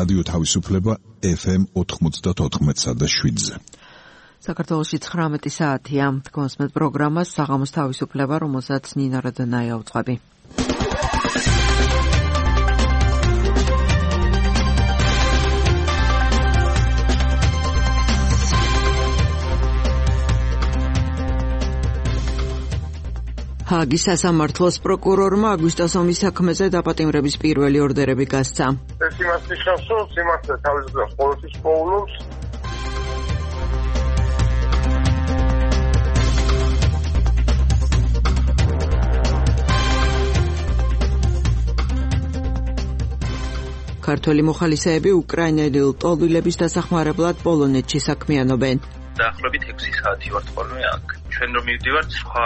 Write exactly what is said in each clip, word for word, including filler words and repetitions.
რადიო თავისუფლება ეფ ემ ოთხმოცდაოთხ და შვიდზე. საქართველოში ცხრამეტი საათია. თქვენს პროგრამას საღამოს თავისუფლება, რომელსაც ნინა რადანაია უძღვები. ჰაგის სასამართლოს პროკურორმა აგვისტოს ომის საქმეზე დაპატიმრების პირველი ორდერები გასცა. ეს იმას ნიშნავს, რომ სიმართლე თავისუფლებას ყოველთვის პოულობს. ქართველი მოხალისეები უკრაინელი ლტოლვილების დასახმარებლად პოლონეთში საქმიანობენ. დაახლოებით ექვსი საათი ვართ ხოლმე აქ. ჩვენ რომ მივდივართ, სხვა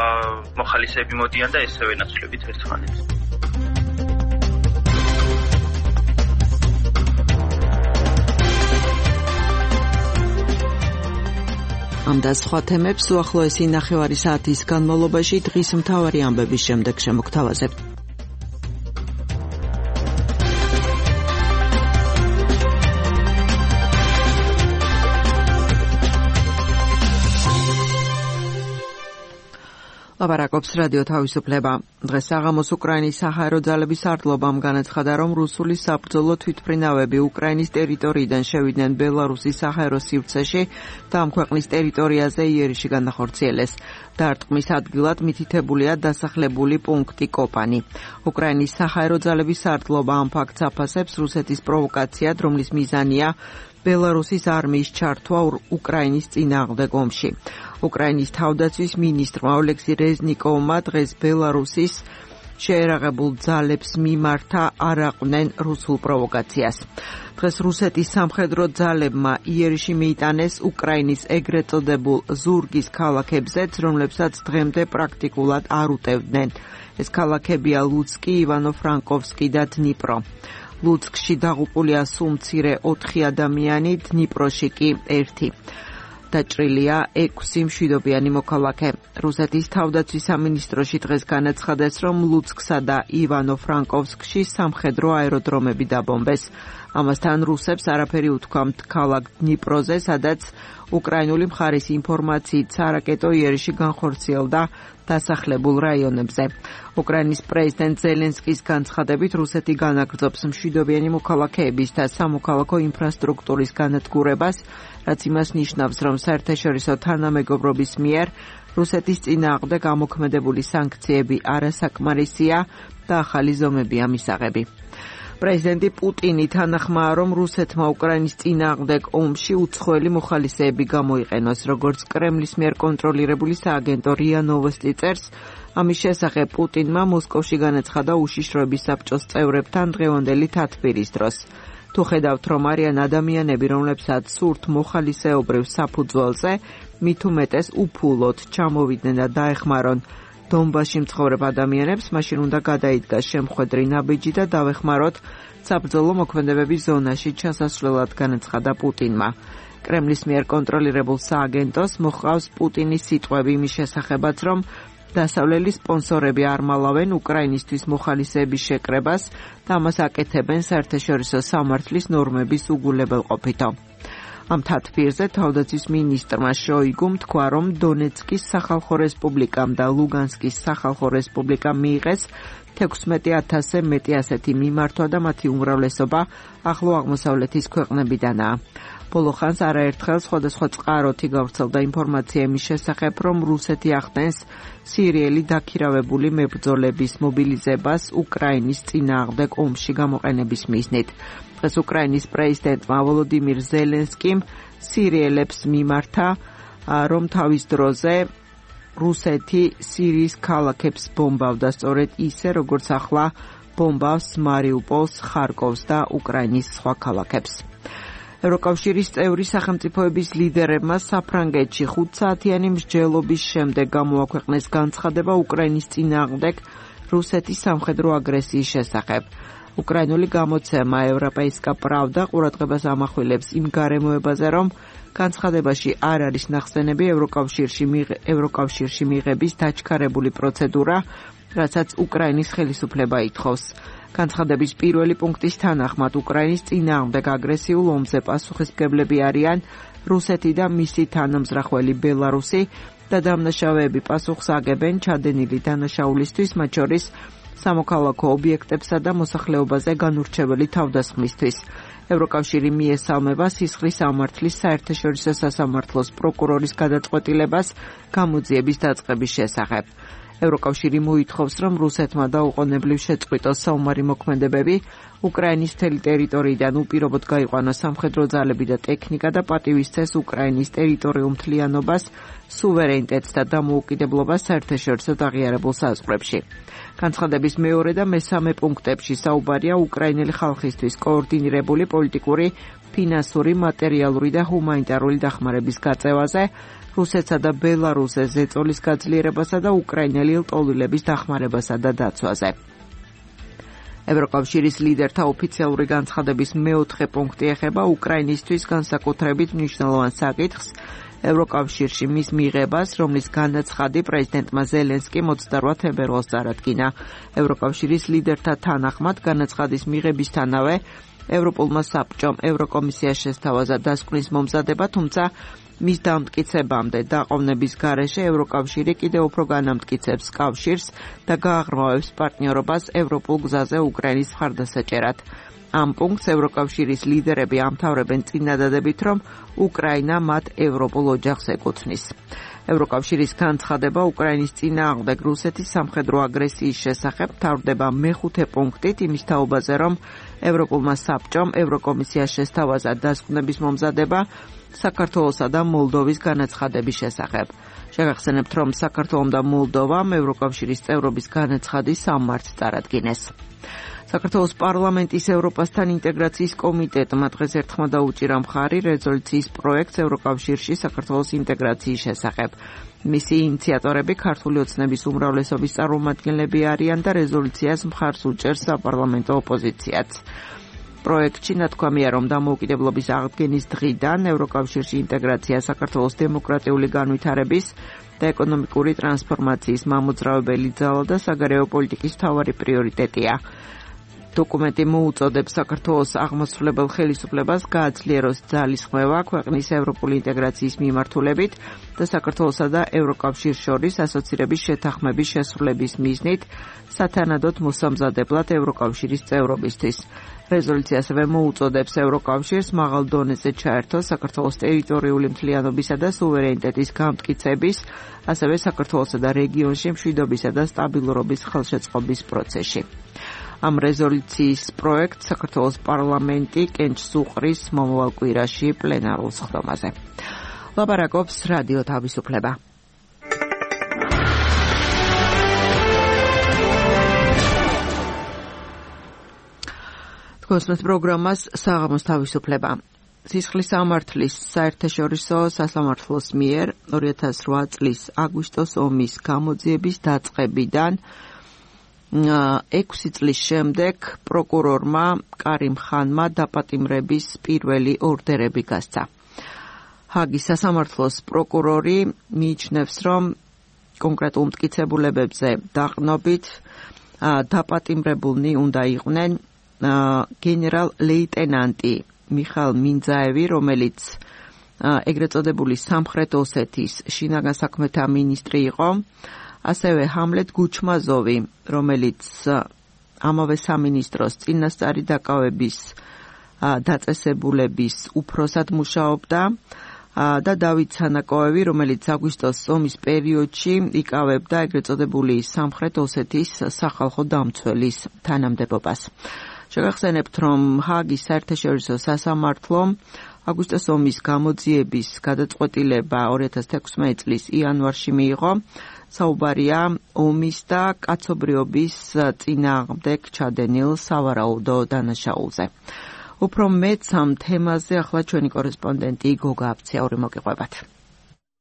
მოხალისეები მოდიან და ესევე ნაცვლებით ერთმანეთს. ამ და სხვა თემებს უახლოესი ნახევარი საათის განმავლობაში დღის მთავარი ამბების შემდეგ შემოგთავაზებთ. ლაპარაკობს რადიო თავისუფლება. დღეს საღამოს უკრაინის საჰაერო ძალების არტლობამ განაცხადა, რომ რუსული საბრძოლო თვითმფრინავები უკრაინის ტერიტორიიდან შევიდნენ ბელარუსის საჰაერო სივრცეში და ამ ქვეყნის ტერიტორიაზე იერიში განახორციელეს. დარტყმის ადგილად მითითებულია დასახლებული პუნქტი კოპანი. უკრაინის საჰაერო ძალების არტლობა ამ ფაქტს აფასებს რუსეთის პროვოკაციად, რომლის მიზანია ბელარუსის არმიის ჩართვა უკრაინის წინააღმდეგ ომში. უკრაინის თავდაცვის მინისტრმა ოლექსი რეზნიკოვმა დღეს ბელარუსის შეერაღებულ ძალებს მიმართა არ აყვნენ რუსულ პროვოკაციას. დღეს რუსეთის სამხედრო ძალებმა იერიში მიიტანეს უკრაინის ეგრეთ წოდებულ ზურგის ქალაქებზეც, რომლებსაც დღემდე პრაქტიკულად არ უტევდნენ. ეს ქალაქებია ლუცკი, ივანო-ფრანკოვსკი და დნიპრო. ლუცკში დაღუპულია სულ მცირე ოთხი ადამიანი, დნიპროში კი ერთი. დაჭრილია ექვსი მშვიდობიანი მოქალაქე. რუსეთის თავდაცვის სამინისტროში დღეს განაცხადეს, რომ ლუცკსა და ივანო-ფრანკოვსკში სამხედრო აეროდრომები დაბომბეს. ამასთან რუსებს არაფერი უთქვამთ ქალაქ დნიპროზე, სადაც უკრაინული მხარის ინფორმაციით სარაკეტო იერიში განხორციელდა დასახლებულ რაიონებზე. უკრაინის პრეზიდენტ ზელენსკის განცხადებით, რუსეთი განაგრძობს მშვიდობიანი მოქალაქეების და სამოქალაქო ინფრასტრუქტურის განადგურებას, რაც იმას ნიშნავს, რომ საერთაშორისო თანამეგობრობის მიერ რუსეთის წინააღმდეგ ამოქმედებული სანქციები არასაკმარისია და ახალი ზომებია მისაღები. პრეზიდენტი პუტინი თანახმაა, რომ რუსეთმა უკრაინის წინააღმდეგ ომში უცხოელი მოხალისეები გამოიყენოს, როგორც კრემლის მიერ კონტროლირებული სააგენტო რია ნოვოსტი წერს. ამის შესახებ პუტინმა მოსკოვში განაცხადა უშიშროების საბჭოს წევრებთან დღევანდელი თათბირის დროს. თუ ხედავთ, რომ არიან ადამიანები, რომლებსაც სურთ მოხალისეობრივ საფუძველზე, მით უმეტეს უფულოდ ჩამოვიდნენ და დაეხმარონ დონბასში მცხოვრებ ადამიანებს, მაშინ უნდა გადაიდგას შემხვედრი ნაბიჯი და დავეხმაროთ საბრძოლო მოქმედებების ზონაში ჩასასვლელად, განაცხადა პუტინმა. კრემლის მიერ კონტროლირებულ სააგენტოს მოჰყავს პუტინის სიტყვები იმის შესახებაც, რომ დასავლელი სპონსორები არ მალავენ უკრაინისთვის მოხალისეების შეკრებას და ამას აკეთებენ საერთაშორისო სამართლის ნორმების უგულებელყოფითო. ამ თათბირზე თავდაცვის მინისტრმა შოიგუმ თქვა, რომ დონეცკის სახალხო რესპუბლიკამ და ლუგანსკის სახალხო რესპუბლიკამ მიიღეს თექვსმეტი ათასზე მეტი ასეთი მიმართვა და მათი უმრავლესობა ახლო აღმოსავლეთის ქვეყნებიდანაა. ბოლო ხანს არაერთხელ სხვადასხვა წყაროთი გავრცელდა ინფორმაცია იმის შესახებ, რომ რუსეთი ახდენს სირიელი დაქირავებული მებრძოლების მობილიზებას უკრაინის წინააღმდეგ ომში გამოყენების მიზნით. დღეს უკრაინის პრეზიდენტმა ვოლოდიმირ ზელენსკიმ სირიელებს მიმართა, რომ თავის დროზე რუსეთი სირიის ქალაქებს ბომბავდა, სწორედ ისე, როგორც ახლა ბომბავს მარიუპოლს, ხარკოვს და უკრაინის სხვა ქალაქებს. ევროკავშირის წევრი სახელმწიფოების ლიდერებმა საფრანგეთში ხუთსაათიანი მსჯელობის შემდეგ გამოაქვეყნეს განცხადება უკრაინის წინააღმდეგ რუსეთის სამხედრო აგრესიის შესახებ. უკრაინული გამოცემა ევროპაისკა პრავდა ყურადღებას ამახვილებს იმ გარემოებაზე, რომ განცხადებაში არ არის ნახსენები ევროკავშირში ევროკავშირში მიღების დაჩქარებული პროცედურა, რასაც უკრაინის ხელისუფლება ითხოვს. განცხადების პირველი პუნქტის თანახმად უკრაინის წინააღმდეგ აგრესიულ ომზე პასუხისმგებლები არიან რუსეთი და მისი თანამზრახველი ბელარუსი და დამნაშავეები პასუხს აგებენ ჩადენილი დანაშაულისთვის, მათ შორის სამოქალაქო ობიექტებსა და მოსახლეობაზე განურჩეველი თავდასხმისთვის. ევროკავშირი მიესალმება სისხლის სამართლის საერთაშორისო სასამართლოს პროკურორის გადაწყვეტილებას გამოძიების დაწყების შესახებ. ევროკავშირი მოითხოვს, რომ რუსეთმა დაუყოვნებლივ შეწყვიტოს საომარი მოქმედებები, უკრაინის მთელი ტერიტორიიდან უპირობოდ გაიყვანოს სამხედრო ძალები და ტექნიკა და პატივისცეს უკრაინის ტერიტორიულ მთლიანობას, სუვერენიტეტს და დამოუკიდებლობას საერთაშორისო აღიარებულ საზღვრებში. განცხადების მეორე და მესამე პუნქტებში საუბარია უკრაინელი ხალხისთვის კოორდინირებული პოლიტიკური, ფინანსური, მატერიალური და ჰუმანიტარული დახმარების გაწევაზე, რუსეთსა და ბელარუსზე ზეწოლის გაძლიერებასა და უკრაინელი ლტოლვილების დახმარებასა და დაცვაზე. ევროკავშირის ლიდერთა ოფიციალური განცხადების მეოთხე პუნქტი ეხება უკრაინისთვის განსაკუთრებით მნიშვნელოვან საკითხს, ევროკავშირში მის მიღებას, რომლის განაცხადი პრეზიდენტმა ზელენსკიმ ოცდაოთხ თებერვალს წარადგინა. ევროკავშირის ლიდერთა თანახმად განაცხადის მიღებისთანავე ევროპულმა საბჭომ ევროკომისიას შესთავაზა დასკვნის მომზადება, თუმცა მის დამტკიცებამდე დაყოვნების გარეშე ევროკავშირი კიდევ უფრო განამტკიცებს კავშირს და გააღრმავებს პარტნიორობას ევროპულ გზაზე უკრაინის მხარდასაჭერად. ამ პუნქტს ევროკავშირის ლიდერები ამთავრებენ წინადადებით, რომ უკრაინა მათ ევროპულ ოჯახს ეკუთვნის. ევროკავშირის განცხადება უკრაინის წინააღმდეგ რუსეთის სამხედრო აგრესიის შესახებ მთავრდება მეხუთე პუნქტით იმის თაობაზე, რომ ევროპულმა საბჭომ ევროკომისიას შესთავაზა დასკვნების მომზადება საქართველოსა და მოლდოვის განაცხადების შესახებ. შეგახსენებთ, რომ საქართველომ და მოლდოვამ ევროკავშირის წევრობის განაცხადი სამ მარტს წარადგინეს. საქართველოს პარლამენტის ევროპასთან ინტეგრაციის კომიტეტმა დღეს ერთხმა დაუჭირა მხარი რეზოლუციის პროექტს ევროკავშირში საქართველოს ინტეგრაციის შესახებ. მისი ინიციატორები ქართული ოცნების უმრავლესობის წარმომადგენლები არიან და რეზოლუციას მხარს უჭერს საპარლამენტო ოპოზიციაც. პროექტში ნათქვამია, რომ დამოუკიდებლობის აღდგენის დღიდან ევროკავშირში ინტეგრაცია საქართველოს დემოკრატიული განვითარების და ეკონომიკური ტრანსფორმაციის მამოძრავებელი ძალა და საგარეო პოლიტიკის მთავარი პრიორიტეტია. დოკუმენტი მოუწოდებს საქართველოს აღმასრულებელ ხელისუფლებას გააძლიეროს ძალისხმევა ქვეყნის ევროპული ინტეგრაციის მიმართულებით და საქართველოსა და ევროკავშირს შორის ასოცირების შეთანხმების შესრულების მიზნით სათანადოდ მოსამზადებლად ევროკავშირის წევრობისთვის. რეზოლუცია ასევე მოუწოდებს ევროკავშირს მაღალ დონეზე ჩაერთოს საქართველოს ტერიტორიული მთლიანობისა და სუვერენიტეტის გამტკიცების, ასევე საქართველოსა და რეგიონში მშვიდობისა და სტაბილურობის ხელშეწყობის პროცესში. ამ რეზოლუციის პროექტს საქართველოს პარლამენტი კენჭს უყრის მომავალ კვირაში პლენარულ სხდომაზე. ლაპარაკობს რადიო თავისუფლება. თქვენს პროგრამას საღამოს თავისუფლება. სისხლის სამართლის საერთაშორისო სასამართლოს მიერ ორი ათას რვა წლის აგვისტოს ომის გამოძიების დაწყებიდან ექვსი წლის შემდეგ პროკურორმა კარიმ ხანმა დაპატიმრების პირველი ორდერები გასცა. ჰაგის სასამართლოს პროკურორი მიიჩნევს, რომ კონკრეტულ მტკიცებულებებზე დაყრდნობით დაპატიმრებულნი უნდა იყვნენ გენერალ ლეიტენანტი მიხაილ მინძაევი, რომელიც ეგრეთ წოდებული სამხრეთ ოსეთის შინაგან საქმეთა მინისტრი იყო, ასევე ჰამლეთ გუჩმაზოვი, რომელიც ამავე სამინისტროს წინასწარი დაკავების დაწესებულების უფროსად მუშაობდა და დავით სანაკოევი, რომელიც აგვისტოს ომის პერიოდში იკავებდა ეგრეთ წოდებული სამხრეთ ოსეთის სახალხო დამცველის თანამდებობას. შეგახსენებთ, რომ ჰაგის საერთაშორისო სასამართლომ აგვისტოს ომის გამოძიების გადაწყვეტილება ორი ათას თექვსმეტი წლის იანვარში მიიღო. საუბარია ომის და კაცობრიობის წინააღმდეგ ჩადენილ სავარაუდო დანაშაულზე. უფრო მეც ამ თემაზე ახლა ჩვენი კორესპონდენტი გოგა აფციური მოგიყვებათ.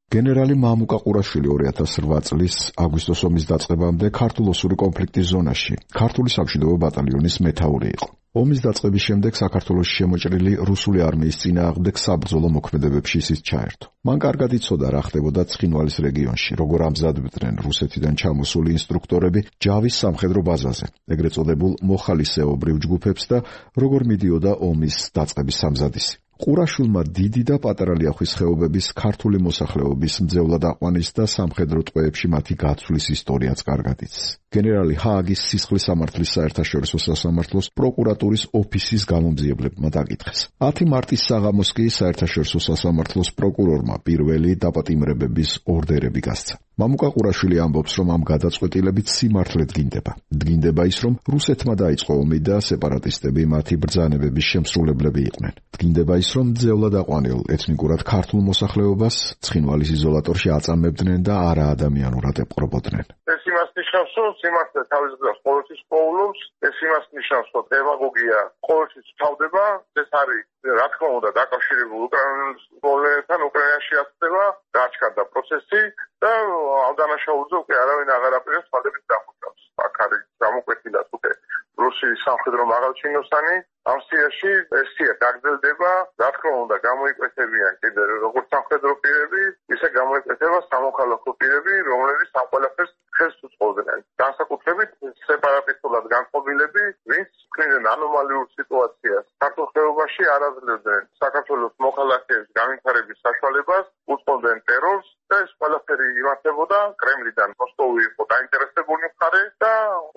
გენერალი მამუკა ყურაშვილი ორი ათას რვა წლის აგვისტოს ომის დაწყებამდე ქართულ-ოსური კონფლიქტის ზონაში ქართული სამშვიდობო ბატალიონის მეთაური იყო. ომის დაწყების შემდეგ საქართველოში შემოჭრილი რუსული არმიის წინააღმდეგ საბრძოლო მოქმედებებში ის ჩაერთო. მან კარგად იცოდა რა ხდებოდა ცხინვალის რეგიონში, როგორ ამზადებდნენ რუსეთიდან ჩამოსული ინსტრუქტორები ჯავის სამხედრო ბაზაზე, ეგრეთ წოდებულ მოხალისეობრივ ჯგუფებს და როგორ მიდიოდა ომის დაწყების სამზადისი. ყურაშვილმა დიდი და პატარა ლიახვის ხეობების ქართული მოსახლეობის მძევლად აყვანის და სამხედრო ტყვეებში მათი გაცვლის ისტორიაც კარგად იცის. გენერალი ჰააგის სისხლის სამართლის საერთაშორისო სასამართლოს პროკურატურის ოფისის გამომძიებლებმა დაკითხეს. ათი მარტის საღამოს კი საერთაშორისო სასამართლოს პროკურორმა პირველი დაპატიმრებების ორდერები გასცა. მამუკა ყურაშვილი ამბობს, რომ ამ გადაწყვეტილებით სიმართლე დგინდება. დგინდება ის, რომ რუსეთმა დაიწყო ომი და სეპარატისტები მათი ბრძანებების შემსრულებლები იყვნენ. დგინდება ის, რომ მძევლად აყვანილ ეთნიკურად ქართულ მოსახლეობას ცხინვალის იზოლატორში აწამებდნენ და არაადამიანურად ეპყრობოდნენ. ეს იმას ნიშნავს, რომ სიმართლე თავის დღეს ყოველთვის პოულობს, ეს იმას ნიშნავს, რომ დემაგოგია ყოველთვის თავდება, ეს არის რა თქმა უნდა დაკავშირებული უკრაინის პრობლემებთან, უკრაინაში ახდება გაჩქარდა პროცესი და ამ დანაშაულზე უკვე არავინ აღარ აპირებს თვალებით დამოწავს. აქ არის გამოკვეთილად უკვე რუსეთის სამხედრო მაღალჩინოსანი ამ სიაში ეს სია გაგრძელდება, რა თქმა უნდა გამოიკვეთებიან კიდე როგორც სამხედრო პირები, ისე გამოიკვეთება სამოქალაქო პირები, რომლებიც ამ ყველაფერს ხელს უწყობდნენ. განსაკუთრებით სეპარატისტულად განწყობილები, ვინც ქმნიან ანომალიურ სიტუაციას საქართველოს ხეობაში არ აძლევდნენ საქართველოს მოქალაქეების განვითარების საშუალებას, უწყობდნენ ტერორს და ეს ყველაფერი იმართებოდა კრემლიდან. მოსკოვი იყო დაინტერესებული მხარე და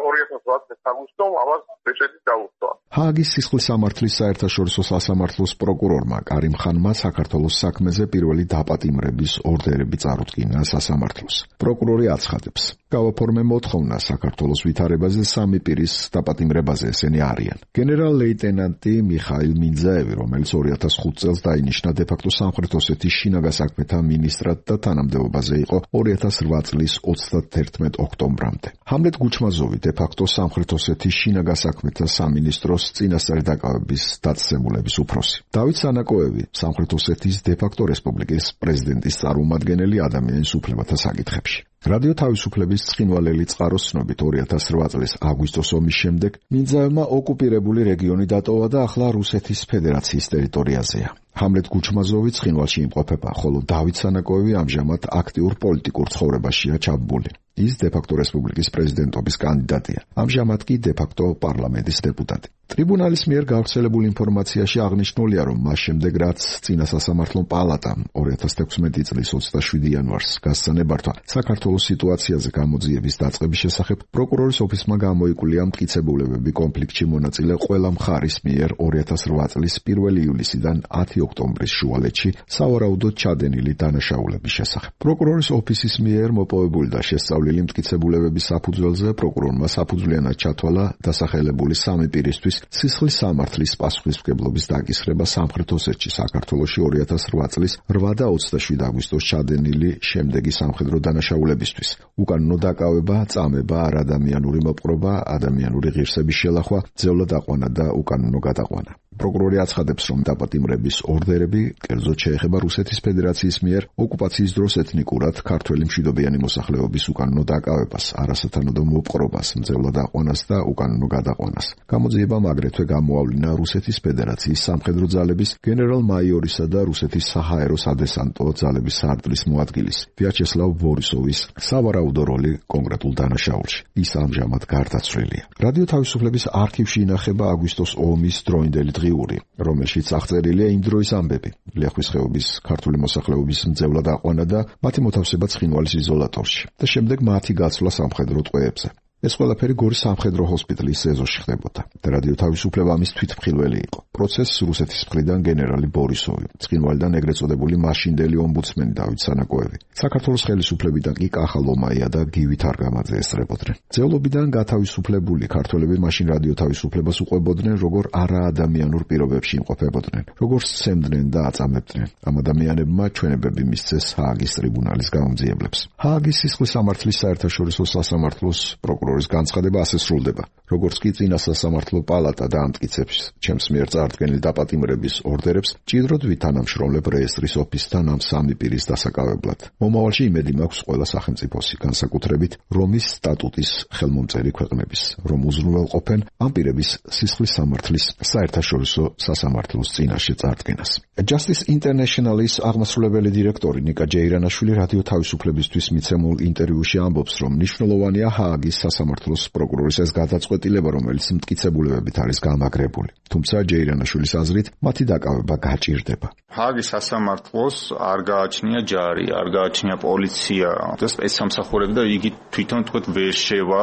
ორი ათას ოცდაათი აგვისტომ ამას ბეჭედი დაუხსნა. ჰააგის სისხლის სამართლის საერთაშორისო სასამართლოს პროკურორმა კარიმ ხანმა საქართველოს საქმეზე პირველი დაპატიმრების ორდერები წარუდგინა სასამართლოს. პროკურორი აცხადებს, გავაფორმე მოთხოვნა საქართველოს ვითარებაზე სამი პირის დაპატიმრებაზე, ესენი არიან: გენერალ-ლეიტენანტი მიხაილ მინძაევი, რომელიც ორი ათას ხუთი წელს დაინიშნა დე-ფაქტო სამხრეთ ოსეთის შინაგან საქმეთა მინისტრად და თანამდებობაზე იყო ორი ათას რვა წლის ოცდათერთმეტ ოქტომბრამდე. ჰამლეტ გუჩმაზოვი დე-ფაქტო სამხრეთ ოსეთის შინაგან საქმეთა სამინისტროს წინასწარი დაკავების დაწესებულების უფროსი. დავით სანაკოევი, სამხრეთ ოსეთის დე-ფაქტო რესპუბლიკის პრეზიდენტის წარმომადგენელი ადამიანის უფლებათა საკითხებში. რადიო თავისუფლების ცხინვალელი წყაროს ცნობით ორი ათას რვა წლის აგვისტოს ომის შემდეგ მინძაევმა ოკუპირებული რეგიონი დატოვა და ახლა რუსეთის ფედერაციის ტერიტორიაზეა. ჰამლეტ გუჩმაზოვი ცხინვალში იმყოფება, ხოლო დავით სანაკოევი ამჟამად აქტიურ პოლიტიკურ ცხოვრებაშია ჩაბმული. ის დე-ფაქტო რესპუბლიკის პრეზიდენტობის კანდიდატია. ამჟამად კი დე-ფაქტო პარლამენტის დეპუტატი. ტრიბუნალის მიერ გავრცელებულ ინფორმაციაში აღნიშნულია, რომ მას შემდეგ რაც წინა სასამართლო პალატამ ორი ათას თექვსმეტი წლის ოცდაშვიდი იანვარს გასცა ნებართვა საქართველოს სიტუაციაზე გამოძიების დაწყების შესახებ, პროკურორის ოფისმა გამოიკვლია მტკიცებულებები კონფლიქტში მონაწილე ყველა მხარის მიერ ორი ათას რვა წლის პირველი ივლისიდან ათი ოქტომბრის შუალედში სავარაუდოდ ჩადენილი დანაშაულების შესახებ. პროკურორის ოფისის მიერ მოპოვებული და შესწავლილი მტკიცებულებების საფუძველზე პროკურორმა საფუძვლიანად ჩათვალა დასახელებული სამი პირისთვის სისხლის სამართლის პასუხისმგებლობის დაკისრება სამხრეთ ოსეთში საქართველოში ორი ათას რვა წლის რვა და ოცდაშვიდი აგვისტოს ჩადენილი შემდეგი სამხედრო დანაშაულებისთვის: უკანონო დაკავება, წამება, არადამიანური მოპყრობა, ადამიანური ღირსების შელახვა, მძევლად აყვანა და უკანონო გადაყვანა. პროკურორი აცხადებს, რომ დაპატიმრების ორდერები კერძოდ შეეხება რუსეთის ფედერაციის მიერ ოკუპაციის დროს ეთნიკურად ქართველი მშვიდობიანი მოსახლეობის უკანონო დაკავებას, არასათანადო მოპყრობას, მძევლად აყვანას და უკანონო გადაყვანას. გამოძიებამ აგრეთვე გამოავლინა რუსეთის ფედერაციის სამხედრო ძალების გენერალ-მაიორისა და რუსეთის საჰაერო სადესანტო ძალების საარდლის მოადგილის ვიაჩესლავ ბორისოვის სავარაუდო როლი კონკრეტულ დანაშაულში. ის ამჟამად გარდაცვლილია. რადიო თავისუფლების არქივში ინახება აგვისტოს ომის დროინდელი დღიური, რომელშიც აღწერილია იმ დროის ამბები: ლიახვის ხეობის ქართული მოსახლეობის მძევლად აყვანა და მათი მოთავსება ცხინვალის იზოლატორში და შემდეგ მათი გაცვლა სამხედრო ტყვეებზე. ეს ყველაფერი გორის სამხედრო ჰოსპიტალის ეზოში ხდებოდა და რადიო თავისუფლება ამის თვითმხილველი იყო. პროცესს რუსეთის მხრიდან გენერალი ბორისოვი, ცხინვალიდან ეგრეთ წოდებული მაშინდელი ომბუდსმენი დავით სანაკოევი, საქართველოს ხელისუფლებიდან კი კახა ლომაია და გივი თარგამაძე ესწრებოდნენ. ძევლობიდან გათავისუფლებული ქართველები მაშინ რადიო თავისუფლებას უყვებოდნენ, როგორ არაადამიანურ პირობებში იმყოფებოდნენ, როგორ სცემდნენ და აწამებდნენ. ამ ადამიანებმა ჩვენებები მისცეს ჰააგის ტრიბუნალის გამომძიებლებს. ჰააგის სისხლის სამართლის საერთაშორისო სასამართლოს პროკურორი პროკურორის განცხადება ასე სრულდება. როგორც კი წინა სასამართლო პალატა დაამტკიცებს ჩემს მიერ წარდგენილ დაპატიმრების ორდერებს, ჭიდროდ ვითანამშრომლებ რეესტრის ოფისთან ამ სამი პირის დასაკავებლად. მომავალში იმედი მაქვს ყველა სახელმწიფოსი, განსაკუთრებით რომის სტატუტის ხელმომწერი ქვეყნების, რომ უზრუნველყოფენ ამ პირების სისხლის სამართლის საერთაშორისო სასამართლოს წინაშე წარდგენას. Justice International-ის აღმასრულებელი დირექტორი ნიკა ჯეირანაშვილი რადიო თავისუფლებისთვის მიცემულ ინტერვიუში ამბობს, რომ მნიშვნელოვანია ჰააგის სასამართლოს პროკურორის ეს გადაწყვეტილება, რომელიც მტკიცებულებებით არის გამაგრებული. თუმცა ჯეირანაშვილის აზრით, მათი დაკავება გაჭირდება. ჰააგის სასამართლოს არ გააჩნია ჯარი, არ გააჩნია პოლიცია და სპეცსამსახურები და იგი თვითონ თქვათ ვერ შევა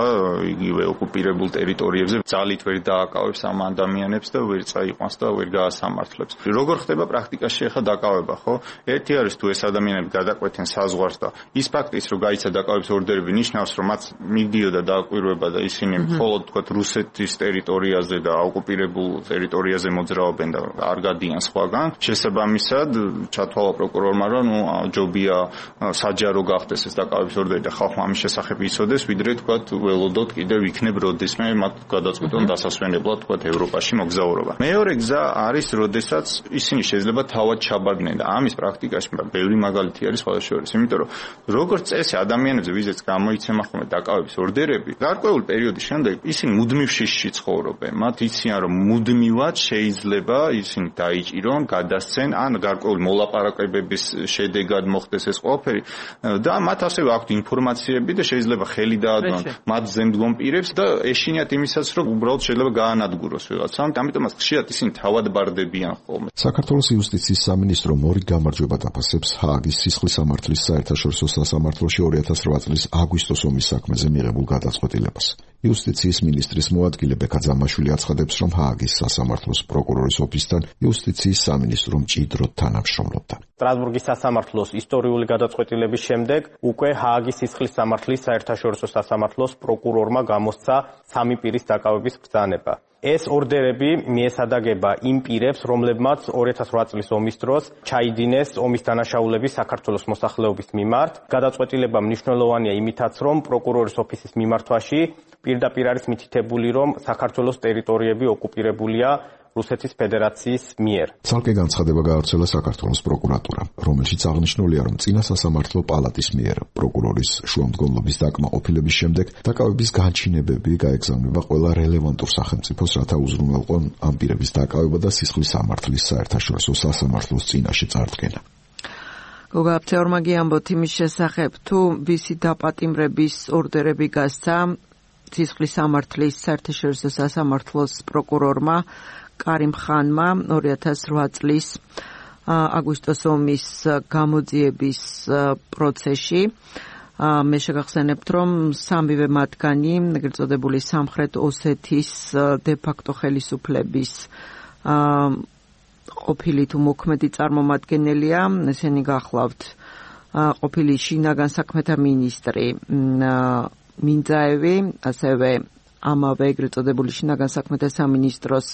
იგივე ოკუპირებულ ტერიტორიებზე, ძალით ვერ დააკავებს ამ ადამიანებს და ვერ წაიყვანს და ვერ გაასამართლებს. როგორ ხდება პრაქტიკაში ახლა დაკავება, ხო? ერთი არის თუ ეს ადამიანები გადაკვეთენ საზღვარს და ის ფაქტიც რომ გაიცა დაკავების ორდერები ნიშნავს, რომ მათ მიდიოდა დააკვირვება და ისინი მხოლოდ თქვათ რუსეთის ტერიტორიაზე და ოკუპირებულ ტერიტორიაზე მოძრაობენ და არ გადიან სხვაგან. შესაბამისად, ჩათვალა პროკურორმა, რომ ნუ ჯობია საჯარო გახდეს ეს დაკავების ორდერი და ხალხმა ამის შესახებ იცოდეს, ვიდრე თქვათ ველოდოთ კიდევ იქნებ როდესმე მათ გადაწყვეტონ დასასვენებლად თქვათ ევროპაში მოგზაურობა. მეორე გზა არის, როდესაც ისინი შეიძლება თავად ჩაბარდნენ და ამის პრაქტიკაში ბევრი მაგალითი არის სხვა შორის, იმიტომ რომ როგორც წესი ადამიანებზე, ვიზეც გამოიცემა ხოლმე დაკავების ორდერები, გარკვეულ პერიოდის შემდეგ ისინი მუდმივ შიშში ცხოვრობენ. მათ იციან, რომ მუდმივად შეიძლება ისინი დაიჭირონ, გადასცენ, ან გარკვეული მოლაპარაკებების შედეგად მოხდეს ეს ყველაფერი და მათ ასევე აქვთ ინფორმაციები და შეიძლება ხელი დაადონ მათ ზემდგომ პირებს და ეშინიათ იმისაც, რომ უბრალოდ შეიძლება გაანადგუროს ვიღაცამ. ამიტომაც ხშირად ისინი თავად ბარდებიან ხოლმე. საქართველოს იუსტიციის სამინისტრო მორი გამარჯვება დაფასებს ჰააგის სისხლის სამართლის საერთაშორისო სასამართლოში ორი ათას რვა წლის აგვისტოს ომის საქმეზე მიღებულ გადაწყვეტილებას. იუსტიციის მინისტრის მოადგილე ბექა ძამაშვილი აცხადებს, რომ ჰააგის სასამართლოს პროკურორის ოფისთან იუსტიციის სამინისტრო მჭიდროდ თანამშრომლობდა. სტრასბურგის სასამართლოს ისტორიული გადაწყვეტილების შემდეგ უკვე ჰააგის სისხლის სამართლის საერთაშორისო სასამართლოს პროკურორმა გამოსცა სამი პირის დაკავების ბრძანება. ეს ორდერები მიესადაგება იმ პირებს, რომლებმაც ორი ათას რვა წლის ომის დროს ჩაიდინეს ომის დანაშაულები საქართველოს მოსახლეობის მიმართ. გადაწყვეტილება მნიშვნელოვანია იმითაც, რომ პროკურორის ოფისის მიმართვაში პირდაპირ არის მითითებული, რომ საქართველოს ტერიტორიები ოკუპირებულია რუსეთის ფედერაციის მიერ. ცალკე განცხადება გაავრცელა საქართველოს პროკურატურამ, რომელშიც აღნიშნულია, რომ წინა სასამართლო პალატის მიერ პროკურორის შუამდგომლობის დაკმაყოფილების შემდეგ დაკავების განჩინებები გაეგზავნება ყველა რელევანტურ სახელმწიფოს, რათა უზრუნველყონ ამ პირების დაკავება და სისხლის სამართლის საერთაშორისო სასამართლოს წინაშე წარდგენა. გოგა აფთეორმა გიამბოთ იმის შესახებ, თუ ვისი დაპატიმრების ორდერები გასცა სისხლის სამართლის საერთაშორისო სასამართლოს პროკურორმა კარიმ ხანმა ორი ათას რვა წლის აგვისტოს ომის გამოძიების პროცესში. მე შეგახსენებთ, რომ სამივე მათგანი, ეგრეთ წოდებული სამხრეთ ოსეთის დე-ფაქტო ხელისუფლების ყოფილი თუ მოქმედი წარმომადგენელია. ესენი გახლავთ ყოფილი შინაგან საქმეთა მინისტრი მინძაევი, ასევე ამავე ეგრეთ წოდებული შინაგან საქმეთა სამინისტროს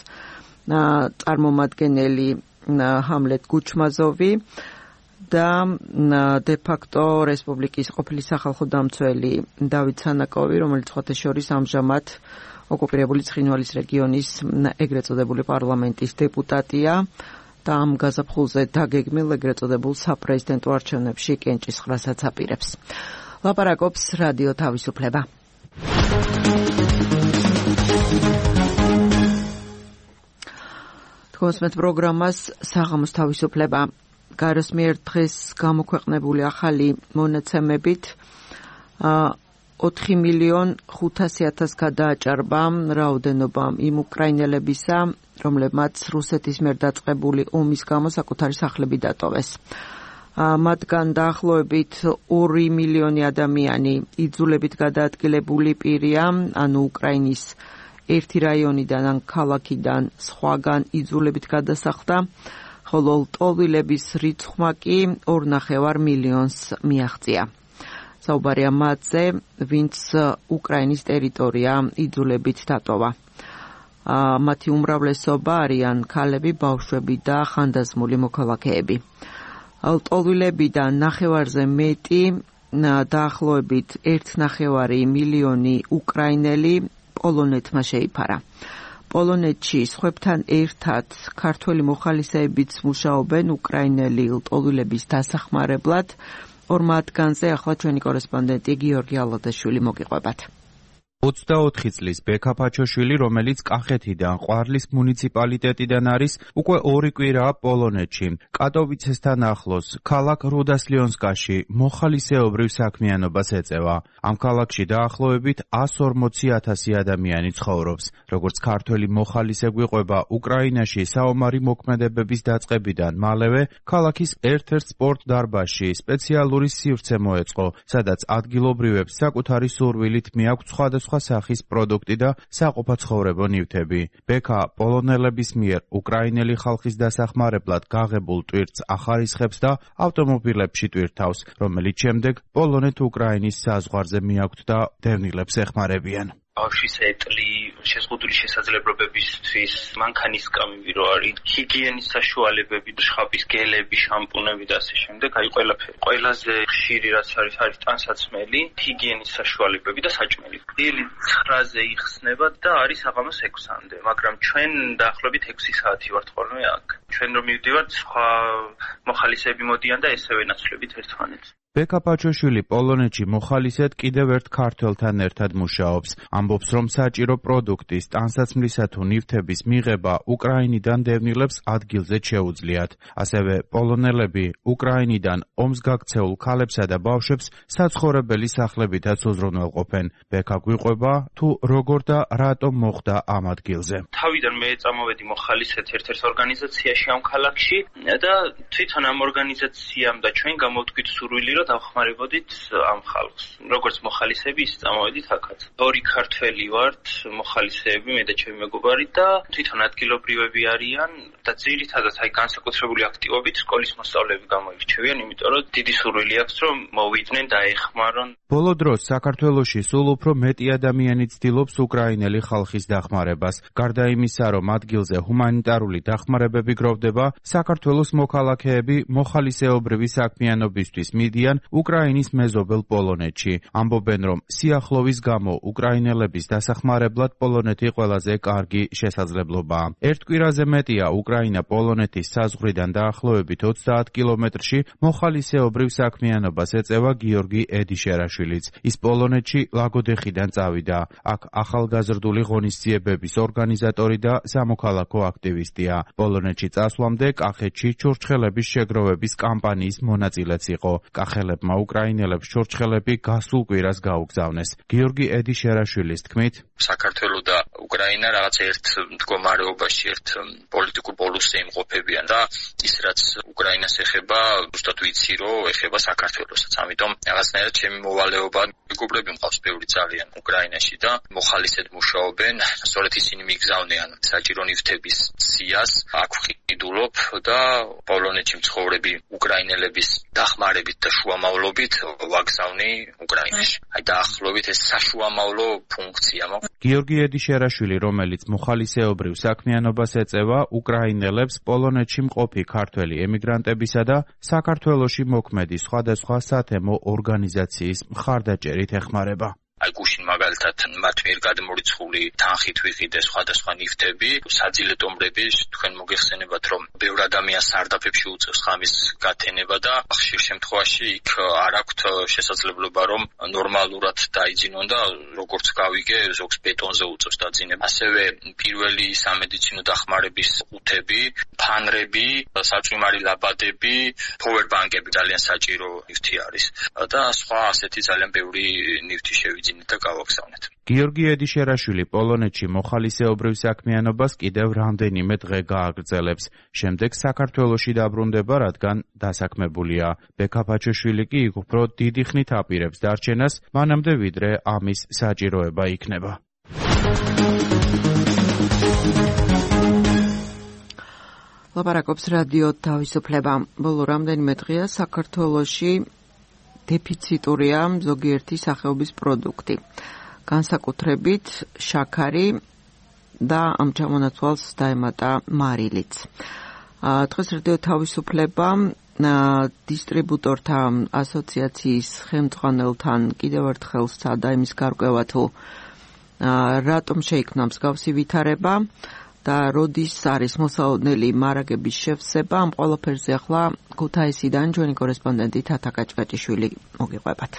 წარმომადგენელი ჰამლეთ გუჩმაზოვი და დე-ფაქტო რესპუბლიკის ყოფილი სახალხო დამცველი დავით სანაკოვი, რომელიც სხვათა შორის ამჟამად ოკუპირებული ცხინვალის რეგიონის ეგრეთ წოდებული პარლამენტის დეპუტატია და ამ გაზაფხულზე დაგეგმილ ეგრეთ წოდებულ საპრეზიდენტო არჩევნებში კენჭისყრასაც აპირებს. ლაპარაკობს რადიო თავისუფლება. თქოსმეთ პროგრამას საღამოს თავისუფლება. გაროს მიერ დღეს გამოქვეყნებული ახალი მონაცემებით ოთხი მილიონ ხუთასი ათას გადააჭარბა რაოდენობამ იმ უკრაინელებისა, რომლებმაც რუსეთის მიერ დაწყებული ომის გამო საკუთარი სახლები დატოვეს. მათგან დაახლოებით ორი მილიონი ადამიანი იძულებით გადაადგილებული პირია, ანუ უკრაინის ერთი რაიონიდან ან ქალაქიდან სხვაგან იძულებით გადასახლდა, ხოლო ლტოლვილების რიცხვმა კი ორ ნახევარ მილიონს მიაღწია. საუბარია მათზე, ვინც უკრაინის ტერიტორია იძულებით დატოვა. მათი უმრავლესობა არიან ქალები, ბავშვები და ხანდაზმული მოქალაქეები. ლტოლვილებიდან ნახევარზე მეტი დაახლოებით ერთ ნახევარი მილიონი უკრაინელი პოლონეთმა შეიფარა. პოლონეთში სხვებთან ერთად ქართველი მოხალისეებიც მუშაობენ უკრაინელი ლტოლვილების დასახმარებლად. ორ მათგანზე ახლა ჩვენი კორესპონდენტი გიორგი ალადაშვილი მოგიყვებათ. ოცდაოთხი წლის ბექა ფაჩოშვილი, რომელიც კახეთიდან ყვარლის მუნიციპალიტეტიდან არის, უკვე ორი კვირაა პოლონეთში. კატოვიცესთან ახლოს, ქალაქ რუდასლიონსკაში მოხალისეობრივ საქმიანობას ეწევა. ამ ქალაქში დაახლოებით εκατს ორმოცი ათასი ადამიანი ცხოვრობს. როგორც ქართველი მოხალისე გვიყვება უკრაინაში საომარი მოქმედებების დაწყებიდან მალევე, ქალაქის ერთ-ერთ სპორტ დარბაზში სპეციალური სივრცე მოეწყო, სადაც ადგილობრივებს საკუთარი სურვილით მიაქვთ სხვადასხვა სახის პროდუქტი და საყოფაცხოვრებო ნივთები. ბექა პოლონელების მიერ უკრაინელი ხალხის დასახმარებლად გაღებულ ტვირთს ახარისხებს და ავტომობილებში ტვირთავს, რომელიც შემდეგ პოლონეთ-უკრაინის საზღვარზე მიაქვთ და დევნილებს ეხმარებიან. ბავშვის ეტლი, შეზღუდული შესაძლებლობებისთვის მანქანისკამები რო არის, ჰიგიენის საშუალებები, შხაპის გელები, შამპუნები და ასე შემდეგ, აი ყველაფერი. ყველაზე ხშირი რაც არის, არის ტანსაცმელი, ჰიგიენის საშუალებები და საჭმელი. დილით ცხრაზე იხსნება და არის საღამოს ექვსამდე, მაგრამ ჩვენ დაახლოებით ექვსი საათი ვართ ხოლმე აქ. ჩვენ რომ მივდივართ, სხვა მოხალისეები მოდიან და ესევე ნაცვლებით ერთმანეთს. ბექა ფაჩოშვილი პოლონეთში მოხალისედ კიდევ ერთ ქართველთან ერთად მუშაობს. ამბობს, რომ საჭირო პროდუქტის, ტანსაცმლისა თუ ნივთების მიღება უკრაინიდან დევნილებს ადგილზეც შეუძლიათ. ასევე პოლონელები უკრაინიდან ომს გაქცეულ ქალებსა და ბავშვებს საცხოვრებელი სახლებითაც უზრუნველყოფენ. ბექა გვიყვება, თუ როგორ და რატომ მოხდა ამ ადგილზე. თავიდან მე წამოვედი მოხალისედ ერთ-ერთ ორგანიზაციაში ამ ქალაქში და თვითონ ამ ორგანიზაციამ და ჩვენ გამოვთქვით სურვილი დავხმარებოდით ამ ხალხს. როგორც მოხალისეები, ის წამოვედით აქაც. ორი ქართველი ვართ, მოხალისეები, მე და ჩემი მეგობარი და თვითონ ადგილობრივები არიან და ძირითადად აი განსაკუთრებული აქტივობით სკოლის მოსწავლეები გამოირჩევიან, იმიტომ რომ დიდი სურვილი აქვს, რომ მოვიდნენ და ეხმარონ. ბოლო დროს საქართველოში სულ უფრო მეტი ადამიანი ცდილობს უკრაინელი ხალხის დახმარებას. გარდა იმისა, რომ ადგილზე ჰუმანიტარული დახმარებები გროვდება, საქართველოს მოქალაქეები მოხალისეობრივი საქმიანობისთვის მიდიან უკრაინის მეზობელ პოლონეთში. ამბობენ, რომ სიახლოვის გამო უკრაინელების დასახმარებლად პოლონეთი ყველაზე კარგი შესაძლებლობაა. ერთ კვირაზე მეტია უკრაინა პოლონეთის საზღვრიდან დაახლოებით ოცდაათ კილომეტრში მოხალისეობრივ საქმიანობას ეწევა გიორგი ედიშერაშვილიც. ის პოლონეთში ლაგოდეხიდან წავიდა. აქ ახალგაზრდული ღონისძიებების ორგანიზატორი და სამოქალაქო აქტივისტია. პოლონეთში წასვლამდე კახეთში ჩურჩხელების შეგროვების კამპანიის მონაწილეც იყო. კახელებმა უკრაინელებს ჩურჩხელები გასულ კვირას გაუგზავნეს. გიორგი ედიშერაშვილის თქმით, საქართველოს და უკრაინა რაღაც ერთ მდგომარეობაში, ერთ პოლიტიკურ პოლუსზე იმყოფებიან და ის რაც უკრაინას ეხება, ზუსტად ვიცი, რომ ეხება საქართველოსაც. ამიტომ რაღაცნაირად ჩემი მოვალეობა მეგობრები მყავს ბევრი ძალიან უკრაინაში და მოხალისედ მუშაობენ, სწორედ ისინი მიგზავნიან საჭირო ნივთების სიას, აქ ვყიდულობ და პოლონეთში მცხოვრები უკრაინელების დახმარებით და შუამავლობით ვაგზავნი უკრაინაში. აი დაახლოებით ეს საშუამავლო ფუნქცია მაქვს. გიორგი ედიშერაშვილი, რომელიც მოხალისეობრივ საქმიანობას ეწევა, უკრაინელებს პოლონეთში მყოფი ქართველი ემიგრანტებისა და საქართველოში მოქმედი სხვადასხვა სათემო ორგანიზაციის მხარდაჭერით ეხმარება. აი გუშინ მაგალითად მათ მიერ გადმორიცხული თანხით ვიყიდე სხვადასხვა ნივთები, საძილეთომრები, თქვენ მოგეხსენებათ, რომ ბევრ ადამიანს სარდაფებში უწევს ხამის გათენება და ხშირ შემთხვევაში იქ არ აქვთ შესაძლებლობა, რომ ნორმალურად დაიძინონ და როგორც გავიგე, ზოგს ბეტონზე უწევს დაძინება. ასევე პირველი სამედიცინო დახმარების ყუთები, ფანრები, საჭმარი ლაბადები, პოვერბანკები ძალიან საჭირო ნივთი არის და სხვა ასეთი ძალიან ბევრი ნივთი შევიძინეთ და გავაგზავნეთ. გიორგი ედიშერაშვილი პოლონეთში მოხალისეობრივ საქმიანობას კიდევ რამდენიმე დღე გააგრძელებს. შემდეგ საქართველოში დაბრუნდება, რადგან დასაქმებულია. ბექა ფაჩოშვილი კი უფრო დიდი ხნით აპირებს დარჩენას, მანამდე ვიდრე ამის საჭიროება იქნება. ლაპარაკობს რადიო თავისუფლება. ბოლო რამდენიმე დღეა საქართველოში დეფიციტურია ზოგიერთი სახეობის პროდუქტი. განსაკუთრებით შაქარი და ამ ჩამონაცვალს დაემატა მარილიც. დღეს რადიო თავისუფლება დისტრიბუტორთა ასოციაციის ხელმძღვანელთან კიდევ ერთხელ სცადა იმის გარკვევა თუ რატომ შეიქმნა მსგავსი ვითარება და როდის არის მოსალოდნელი მარაგების შევსება. ამ ყველაფერზე ახლა ქუთაისიდან ჩვენი კორესპონდენტი თათა კაჭკაჭიშვილი მოგიყვებათ.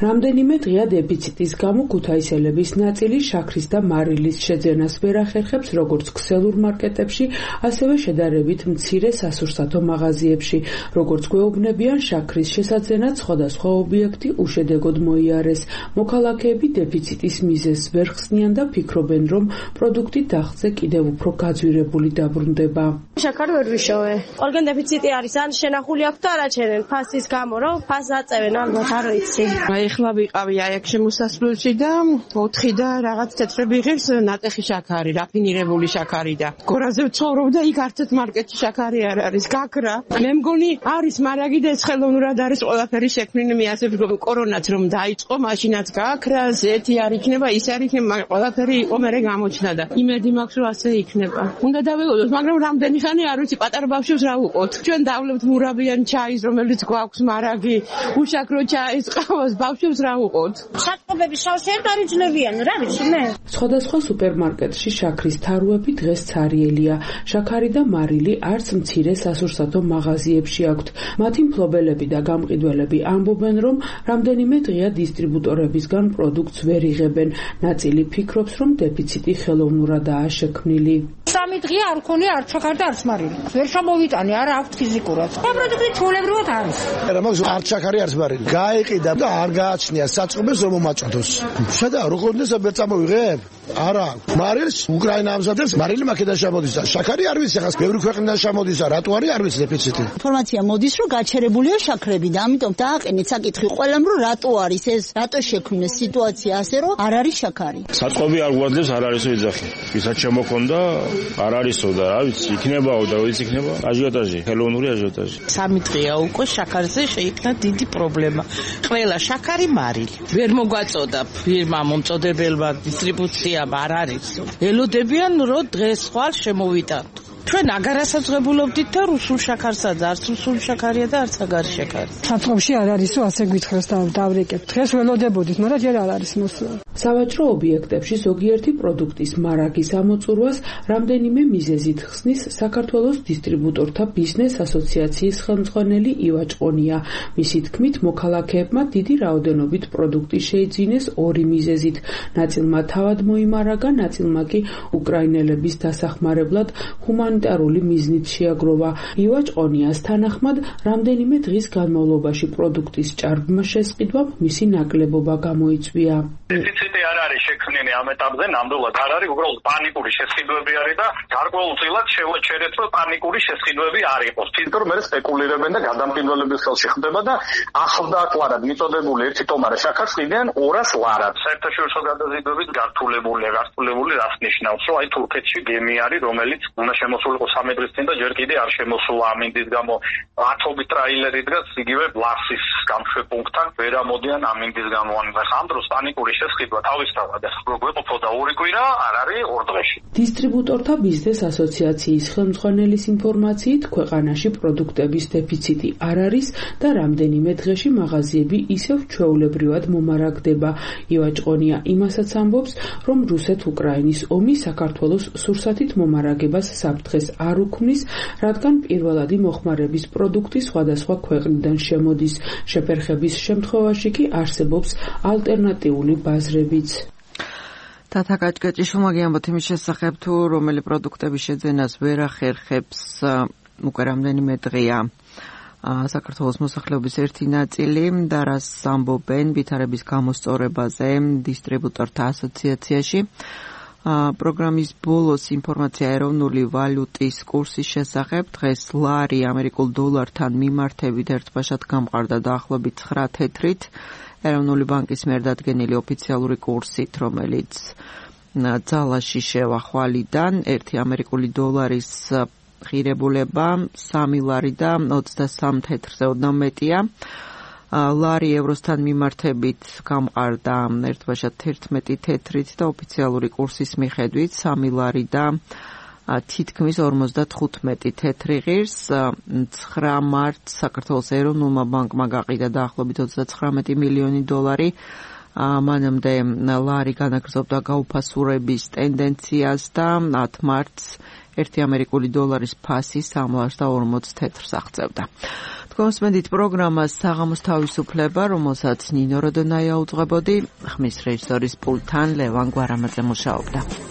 რამდენიმე დღეა დეფიციტის გამო ქუთაისელების ნაწილი შაქრის და მარილის შეძენას ვერ ახერხებს როგორც ქსელურ მარკეტებში, ასევე შედარებით მცირე სასურსათო მაღაზიებში. როგორც გვეუბნებიან, შაქრის შესაძენად სხვადასხვა ობიექტი უშედეგოდ მოიარეს. მოქალაქეები დეფიციტის მიზეზს ვერ ხსნიან და ფიქრობენ, რომ პროდუქტი დახზე კიდევ უფრო გაძვირებული დაბრუნდება. შაქარი ვერ ვიშოვე. ყველგან დეფიციტი არის, ან შენახული აქვს და არაჩერენ ფასის გამო, რომ ფასს აწევენ, ალბათ არ ვიცი. ეხლა ვიყავი აი აქ შემოსასვლელში და ოთხი და რაღაც თეთრები იღებს ნატეხი შაქარი, რაფინირებული შაქარი და გორაზე ვცხოვრობ და იქ არცეთ მარკეტში შაქარი არ არის, გაქრა. მე მგონი არის მარაგი და ეს ხელოვნურად არის ყველაფერი შექმნილი, მე ასე ვფიქრობ, კორონაც რომ დაიწყო, მაშინაც გაქრა, ზეთი არ იქნება, ის არ იქნება, ყველაფერი იყო მერე გამოჩნდა და იმედი მაქვს რომ ასე იქნება. უნდა დაველოდოთ, მაგრამ რამდენი ხანი არ ვიცი, პატარა ბავშვებს რა ვუყოთ. ჩვენ დავლებთ მურაბიან ჩაის, რომელიც გვაქვს მარაგი, უშაქრო ჩაის, ყავას ბავშვებს რა ვუყოთ? საწყობები შავშერთ არ იძლებიან, რა ვიცი მე. სხვადასხვა სუპერმარკეტში შაქრის თარუები დღეს ცარიელია. შაქარი და მარილი არც მცირე სასურსათო მაღაზიებში აქვთ. მათი მფლობელები და გამყიდველები ამბობენ, რომ რამდენიმე დღეა დისტრიბუტორებისგან პროდუქტს ვერ იღებენ. ნაწილი ფიქრობს, რომ დეფიციტი ხელოვნურადაა შექმნილი. სამი დღეა არ ქონია არც შაქარი და არც მარილი. ვერ შემოვიტანე, არა აქვთ ფიზიკურად. ეს პროდუქტი ჩვეულებრივად არის. არა, მაგ არც შაქარი არც მარილი. გაიყიდა და არ გააჩნია საწყობებს რომ მომაჭროს. შედა რო კონდეს ვერ წამოვიღებ? არა. მარილს უკრაინა ამზადებს, მარილი მაკედონიაში შემოდის. შაქარი არ ვიცი, ახლა ბევრი ქვეყნიდან შემოდის, რატო არის არ ვიცი დეფიციტი. ინფორმაცია მოდის რომ გაჩერებულია შაქრები და ამიტომ დააყენეთ საკითხი ყველამ რომ რატო არის ეს, რატო შექმნეს სიტუაცია ასე რომ არ არის შაქარი. საწყობი არ გვაძლევს, არ არისო ეძახი. ვისაც შემოქონდა არ არისო და რა ვიცი, იქნებაო და ვიცი იქნება აჟიოტაჟი, ხელოვნური აჟიოტაჟი. სამი დღეა უკვე შაქარზე შეიქმნა დიდი პრობლემა. ყველა შაქარი მარილი. ვერ მოგვაწოდა ფირმა მომწოდებელმა დისტრიბუციამ არ არის. ელოდებიან რომ დღეს ხვალ შემოვიტანთ. ჩვენ აგარასაძღებულობდით და რუსულ შაქარსაც, არც რუსული შაქარია და არც აგარი შაქარი. საწყობში არ არისო ასე გითხრას და დავრეკებთ. დღეს ველოდებოდით, მაგრამ ჯერ არ არის მოსვლა. სავაჭრო ობიექტებში ზოგიერთი პროდუქტის მარაგის ამოწურვას რამდენიმე მიზეზით ხსნის საქართველოს დისტრიბუტორთა ბიზნეს ასოციაციის ხელმძღვანელი ივაჭ ყონია. მისი თქმით, მოქალაქეებმა დიდი რაოდენობით პროდუქტი შეიძინეს ორი მიზეზით. ნაწილმა თავად მოიმარაგა, ნაწილმა კი უკრაინელების დასახმარებლად ჰუმანიტარული მიზნით შეაგროვა. ივაჭ ყონიას თანახმად, რამდენიმე დღის განმავლობაში პროდუქტის ჭარბმა შესყიდვამ მისი ნაკლებობა გამოიწვია. დეფიციტი არ არის შექმნილი ამ ეტაპზე, ნამდვილად არ არის, უბრალოდ პანიკური შესყიდვები არის და გარკვეულწილად შევაჩერეთ, რომ პანიკური შესყიდვები არ იყოს. თვითონ მე სპეკულირებენ და გადამტკივრების ხელში ხდება და ახლდააკლარად მიწოდებული ერთი ტომარა შაქარს ყიდიან ორას ლარად. საერთაშორისო გადაზიდვებით გართულებულია, გართულებული რას ნიშნავს, რომ აი თურქეთში გემი არის, რომელიც უნდა შემოსულიყო სამი დღის წინ და ჯერ კიდე არ შემოსულა ამინდის გამო. ათობით ტრაილერი დგას იგივე ლარსის გამშვებუნქტთან, ვერ ამოდიან ამინდის გამო. ამ დროს პანიკური შესყიდვა თავისთავად გვეყოფოდა ორი კვირა, არ არის ორ დღეში. დისტრიბუტორთა ბიზნეს ასოციაციის ხელმძღვანელის ინფორმაციით, ქვეყანაში პროდუქტების დეფიციტი არ არის და რამდენიმე დღეში მაღაზიები ისევ ჩვეულებრივად მომარაგდება. ივაჭ ყონია იმასაც ამბობს, რომ რუსეთ-უკრაინის ომი საქართველოს სურსათით მომარაგებას საფრთხეს არ უქმნის, რადგან პირველადი მოხმარების პროდუქტი სხვადასხვა ქვეყნიდან შემოდის. შეფერხების შემთხვევაში კი არსებობს ალტერნატიული ბაზრებიც. თათა კაჭკაჭიშვილმა გიამბოთ იმის შესახებ, თუ რომელი პროდუქტების შეძენას ვერ ახერხებს უკვე რამდენიმე დღეა საქართველოს მოსახლეობის ერთი ნაწილი და რას ამბობენ ვითარების გამოსწორებაზე დისტრიბუტორთა ასოციაციაში. პროგრამის ბოლოს ინფორმაცია ეროვნული ვალუტის კურსის შესახებ. დღეს ლარი ამერიკულ დოლართან მიმართებით ერთბაშად გამყარდა დაახლოებით ცხრა თეთრით. ეროვნული ბანკის მიერ დადგენილი ოფიციალური კურსით, რომელიც ძალაში შევა ხვალიდან, ერთი ამერიკული დოლარის ღირებულება სამი ლარი და ოცდასამი თეთრზე ოდნავ მეტია. ლარი ევროსთან მიმართებით გამყარდა ერთბაშად თერთმეტი თეთრით და ოფიციალური კურსის მიხედვით სამი ლარი და თითქმის ორმოცდათხუთმეტი თეთრი ღირს. ცხრა მარტს საქართველოს ეროვნულმა ბანკმა გაყიდა დაახლოებით ოცდაცხრამეტი მილიონი დოლარი. მანამდე ლარი განაგრძობდა გაუფასურების ტენდენციას და ათ მარტს ერთი ამერიკული დოლარის ფასი სამლარს და ორმოც თეთრს აღწევდა. თქვენსმენდით პროგრამას საღამოს თავისუფლება, რომელსაც ნინო როდონაია უძღვებოდი, ხმის რეჟისორის პულტთან ლევან გვარამაძე მუშაობდა.